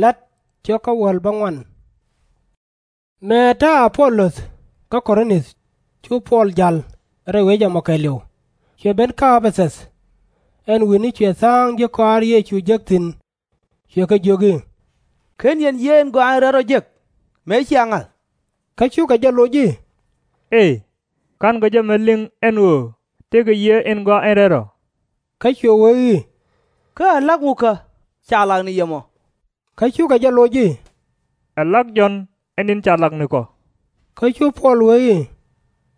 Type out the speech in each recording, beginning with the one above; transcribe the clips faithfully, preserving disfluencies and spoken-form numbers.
La̱t cio̱k kä wäl bäŋuan. Mëë ta̱a̱ Ä-po-löth kä Ko-rinth, cu Puɔl ja̱l rɛy wec ɛmɔ kɛɛliw, cuɛ ben kä Ɛ-pɛ-thäth. Ɛn wi̱ni cuɛ tha̱a̱ŋ ji̱ kɔaar Yecu jek thi̱n, cuɛ kɛ jiök i̱, /Ken yɛn yiëë in gɔaa in rɛl rɔ jek, mëë cia ŋa̱th? Kä cukɛ jɛ loc i̱, Ëë, /ka̱nkɛ jɛ mi liŋ ɛn ɣöö tëëkɛ yiëë in gɔaa in rɛl rɔ. Kä cuɛ wee i̱, Kä ɛ la̱k wukä ca lak ni yɛ mɔ? Kä cukɛ jɛ loc i̱, Ɛ la̱k Jɔ̱ɔ̱n ɛ ni̱n ca lak nikɔ. Kä cu Puɔl wee i̱,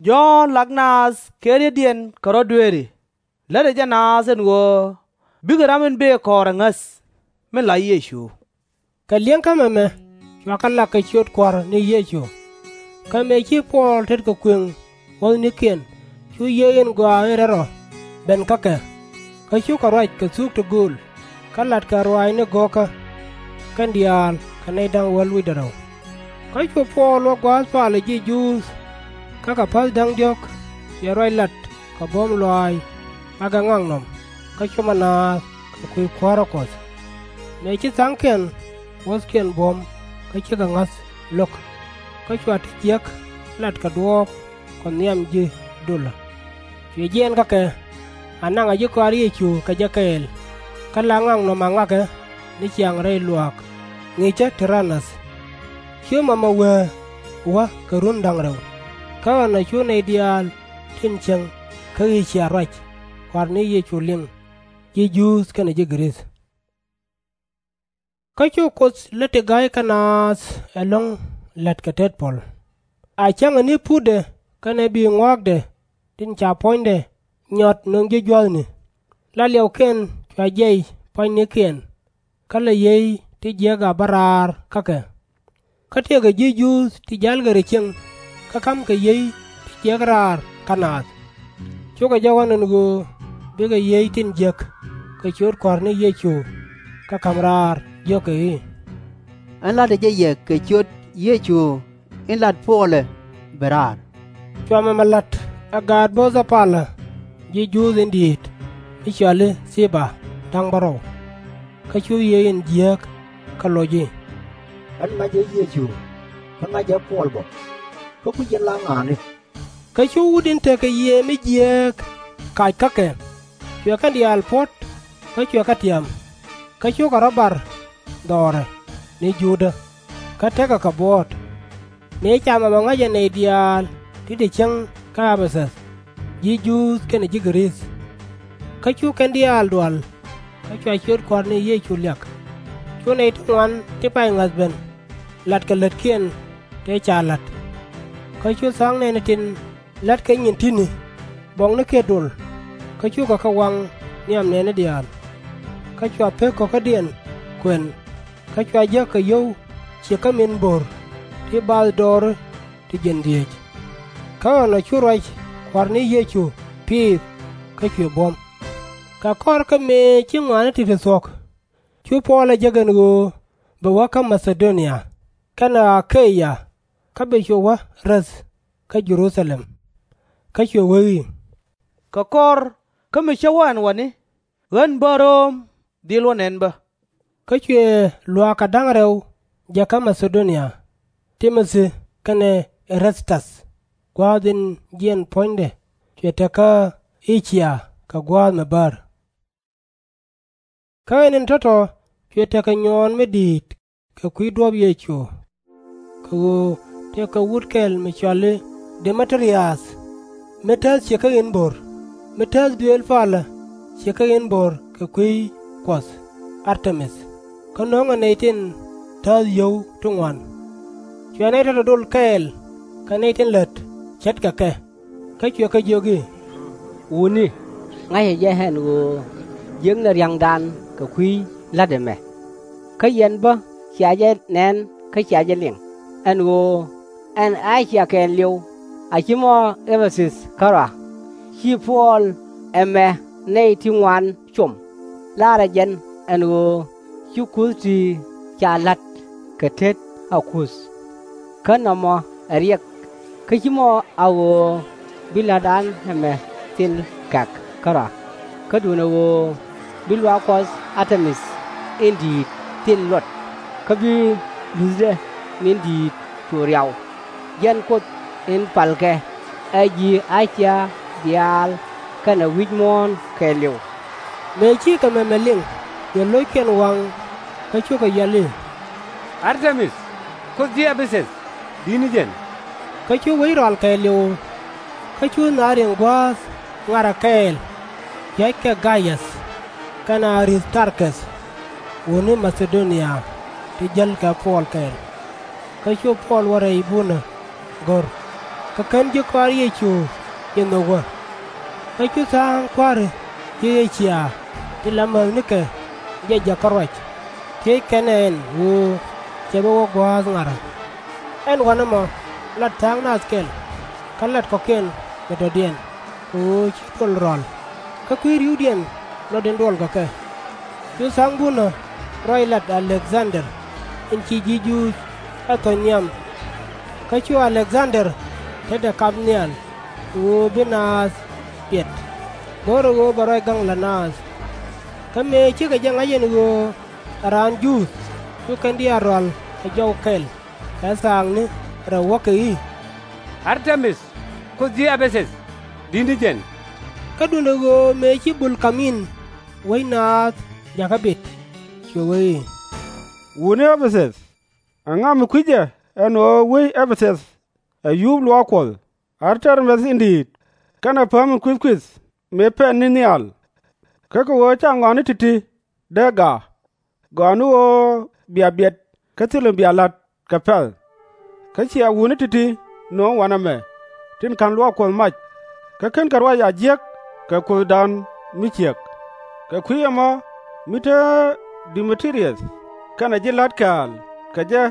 Jɔ̱ɔ̱n lak naath kɛ ri̱tdiɛn kɛ rɔ̱ dueeri. Lätdɛ jɛ naath ɛn ɣöö bikɛ ram in bëë kɔɔr ɛ ŋäth, min la Yecu. Kɛ li̱eŋkä mɛmɛ cua kɛ lak kɛ ciöt Kua̱r ni Yecu. Kä mëë ci Puɔl tetkɛ kuëŋ wuɔ̱thnikiɛn, cu yiëë in gɔaa in rɛl rɔ ben kä kɛ. Kä cukɛ ruac kɛ thuk ti gööl, kä latkɛ ruaacni go̱o̱kä, kɛn diaal kɛ nɛy da̱ŋ wäl wi̱cdɛ rɛw. Kä cu Puɔl wä gua̱a̱th palä ji̱ Juudh, kä kɛ päth da̱ŋ diɔ̱k cuɛ ruac lat kɛ buɔ̱m lɔaac makɛ ŋaknɔm, kä cumɛ naath kɛ kui̱ kuäärä Kuɔth. Mëë ci tha̱a̱ŋkiɛn wuɔ̱thkiɛn buɔ̱m kä cikɛ ŋa̱th lo̱k, kä cua ti jiäk lat kɛ duɔ̱ɔ̱p kɛ nhiam ji̱ dulä. Cuɛ jiɛɛn kä kɛ, a naŋɛ ji̱ kɔaar Yecu kɛ jɛ kɛɛl, kä la ŋaknɔm a ŋakɛ ni ciaŋ rɛy luaak ŋi̱i̱cä Ti-ra-näth. Cu mɛmɛ wee wä kɛ run da̱ŋ rɛw. Kä ɛnɔ cu nɛy diaal tin cieŋ kä Ɛ-cia ruac Kua̱r ni Yecu liŋ, ji̱ Juudh kɛnɛ ji̱ Gɛ-rith. Kä cu Kuoth lät ti ga̱ykɛ naath ɛlɔ̱ŋ la̱t kɛ tet puɔl. A cäŋɛ ni putdɛ kɛnɛ bi̱i̱ ŋɔaakdɛ tin ca puɔ̱nydɛ nyɔt nöŋ ji̱ jua̱thni, la liɛwkiɛn cua jiɛc pua̱nynikiɛn, kä la yiey ti jiäk a bä raar kä kɛ. Kä tëëkɛ ji̱ Juudh ti ja̱lkɛ ri cieŋ kä ka̱mkɛ yiey ti jiäk raar kä naath. Cukɛ jɛ ɣɔ̱n ɛn ɣöö bikɛ yiey tin jiäk kɛ ciöt Kua̱r ni Yecu kä ka̱m raar, jiökɛ i̱, Ɣän la̱tdä jɛ yɛ kɛ ciöt Yecu in lat Puɔlɛ ben raar. Cua mɛmɛ la̱t ɛ gaat bo̱o̱thä palä ji̱ Juudh in di̱i̱t mi cɔal i̱ Thii-ba da̱ŋ bärɔw. Kä cu yiey in jiääk kɛ loc i̱, Ɣän ŋa̱cä Yecu, kä ŋa̱cä Puɔl bä, kä kui̱c yɛn la ŋa̱a̱ni? Kä cu wut in tekɛ yiëë mi jiääk kac kä kɛ, cuɛ kɛn diaal puɔ̱t kä cuɛ kɛ tiam. Kä cukɛ rɔ̱ bar dhɔrɛ ni Juudä, kä tekɛ kɛ buɔ̱ɔ̱t. Mëë ca mɛmɛ ŋa̱cɛ nɛy diaal ti te cieŋ kä Ɛ-pɛ-thäth, ji̱ Juudh kɛnɛ ji̱ Gɛ-rith. Kä cu kɛn diaal dual, kä cua ciöt Kua̱r ni Yecu liak. Cu nɛy ti ŋuan ti pay ŋa̱th ben, latkɛ lätkiɛn tëë ca la̱t. Kä cu tha̱a̱ŋ nɛɛni tin la̱tkɛ nyin ti̱ni buɔknikɛ dol, kä cukɛ kɛ waŋ nhiam nɛɛni diaal. Kä cua pek kɔ̱kädiɛn kuɛn, kä cua jäk kɛ yio̱w ciëk kä min bo̱r ti bathdɔɔri ti jiɛn dhieec. Kä ɛnɔ cu ruac Kua̱r ni Yecu piith kä cuɛ buɔ̱m. Kɛ kɔr kä mëë ci ŋɔaani ti̱ti̱ thuɔ̱k, cu Puɔl ɛ jek ɛn ɣöö bɛ wä kä Ma-tha-do-nia kɛnɛ A-ke-ya, kä bɛ cu wä räth kä Jɛ-ru-tha-lɛm. Kä cuɛ wee i̱, Kɛ kɔr kä mi cä wä ɛn wäni, ɣän bä Röm dhil wä nɛn bä. Kä cuɛ luaak kɛ da̱ŋ rɛw jek kä Ma-tha-do-nia, Ti-mo-thi kɛnɛ E-ra-st-äth, gua̱a̱th in jiɛn puɔ̱nydɛ cuɛ te kä Ɛ-cia kɛ gua̱a̱th mi bäär. Kä ɛn in tɔ̱tɔ̱ cuɛ tekɛ nyuɔɔn mi di̱i̱t kɛ kui̱ duɔ̱ɔ̱p Yecu, kɛ ɣöö tëëkɛ wut kɛl mi cɔal i̱ De-mɛ-tri-ath, mi tääth ciëk kä in bo̱r, mi tääth duëël palä ciëk kä in bo̱r kɛ kui̱ kuɔth Ar-te-mith, kä no̱o̱ŋɛ nɛy tin tääth yio̱w ti ŋuan. Cuɛ nɛy tɔ̱tɔ̱ dol kɛɛl kɛ nɛy tin lät ce̱tkɛ kɛ, kä cuɛ kɛ jiök i̱, Wutni, ŋa̱cä jɛ ɛn ɣöö jiäknɛ ria̱ŋdan kɛ kui̱ la̱t ɛmɛ. Kä yɛn bä cia jɛ nɛn kä cia jɛ liŋ, ɛn ɣöö ɛn A-cia kɛɛliw, a /ci mɔ Ɛ-pɛ-thäth kärɔa, ci Puɔl ɛmɛ nɛy ti ŋuan com, laarɛ jɛn ɛn ɣöö ci kuth ti ca la̱t kɛ tet a kuth, kä nɔmɔ ɛ riɛk, kä /ci mɔ a ɣöö bi la̱tdan ɛmɛ thil kɛ̈k kärɔa, kä duundɛ ɣöö bi luaak kuɔth Ar-te-mith in di̱i̱t thil luɔt. kä bi luuthdɛ ni̱n di̱i̱t cu riaw. Jɛn Kuoth in palkɛ ɛ ji̱ Acia diaal kɛnɛ wi̱c muɔ̱ɔ̱n kɛɛliw. Mëë cikɛ mɛmɛ liŋ, yɛ lo̱ckiɛn waŋ, kä cukɛ yɔl i̱, Ar-te-mith, kuoth ji̱ Ɛ-pɛ-thɛth, di̱t ni jɛn! Kä cu wec rɔal kɛɛliw. Kä cu naath riŋ gua̱a̱th ŋa̱rä kɛɛl, pia̱ckɛ Gay-äth kɛnɛ A-rith-tar-keth, wutni Ma-tha-do-nia ti jälkɛ Puɔl kɛɛl. Kä cu Puɔl wä rɛy bunä go̱r, kä /ken ji̱ kɔaar Yecu jɛ nhök wä. Kä cu tha̱a̱ŋ kua̱ri ji̱ Ɛ-cia ti la mäthnikɛ jɛ jäkä ruac, thiec kɛn ɛ ɛn ɣöö cɛ bi wä gua̱a̱th ŋa̱rä. Ɛn wanɛmɔ lat tha̱a̱ŋ nath kɛl, kä lat kɔ̱kiɛn kɛ dɔ̱diɛn, kɛ ɣöö ci duɔl rɔ̱a̱l, kä kui̱ ri̱wdiɛn luɔt in duɔlkɛ kɛ. Cu tha̱a̱ŋ bunä ruac lat A-lek-dhan-der in ci ji̱ Juudh ɛ thɔ̱c nhiam. Kä cu A-lek-dhan-der tetdɛ kap nhial kɛ ɣöö bi naath biɛt, go̱rɛ ɣöö bɛ ruac gaŋ la naath. Kä mëë cikɛ jɛ ŋa̱c ɛn ɣöö ɛ raan Juudh, cu kɛn diaal rɔal kɛ jɔw kɛl kɛ thaakni rɛw wäkɛ i̱, Ar-te-mith, kuoth ji̱ Ɛ-pɛ-thɛth, di̱t ni jɛn! Kä duundɛ ɣöö mëë ci bul ka̱m in, wec naath jakä bit, cuɛ wee i̱, Wutni Ɛ-pɛ-thɛth, ɛŋa mi kui̱c jɛ ɛn ɣöö wec Ɛ-pɛ-thɛth ɛ yuup luaak Kuɔth, Ar-te-mith in di̱i̱t, kɛnɛ pääm in kuithkuith mëë pɛn ni nhial? Kä kɛ ɣöö /ca ŋɔaani ti̱ti̱ dee gaak, gɔaa ni ɣöö bia biɛt kä thilɛ mi bia la̱t kɛ pɛ̈th. Kä cia wutni ti̱ti̱ nöŋ wanɛmɛ tin ka̱n luaak Kuɔth mac, kä /kenkɛ ruac a jiäk kɛ kuothdan mi ciɛk. Kɛ kui̱ ɛmɔ mi te De-mɛ-ti-riäth kɛnɛ ji̱ la̱t kɛ̈ɛ̈l kɛ jɛ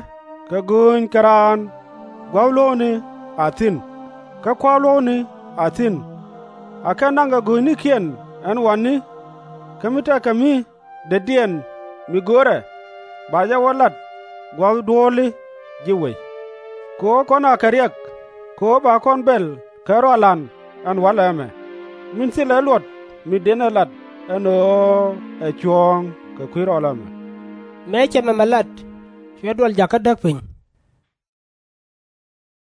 kɛ gööny kɛ raan, gua̱th luɔ̱ɔ̱kni a thi̱n, kä kua̱r luɔ̱ɔ̱kni a thi̱n. Akɛ naŋkɛ go̱o̱cnikiɛn ɛn wanni, kä mi tekɛ mi detdiɛn mi görɛ, ba jɛ wä lat gua̱th duɔ̱ɔ̱li ji̱ wec. Kɛ ɣöö kɔn akɛ riɛk, kɛ ɣöö ba kɔn bɛl kɛ rɔal an ɛn walɛ ɛmɛ, min thilɛ luɔt mi dënɛ lat ɛn ɣöö ɛ cuɔ̱ɔ̱ŋ kɛ kui̱ rɔɔl ɛmɛ. Mëë cɛ mɛmɛ lat, cuɛ duɔl jakä däk piny.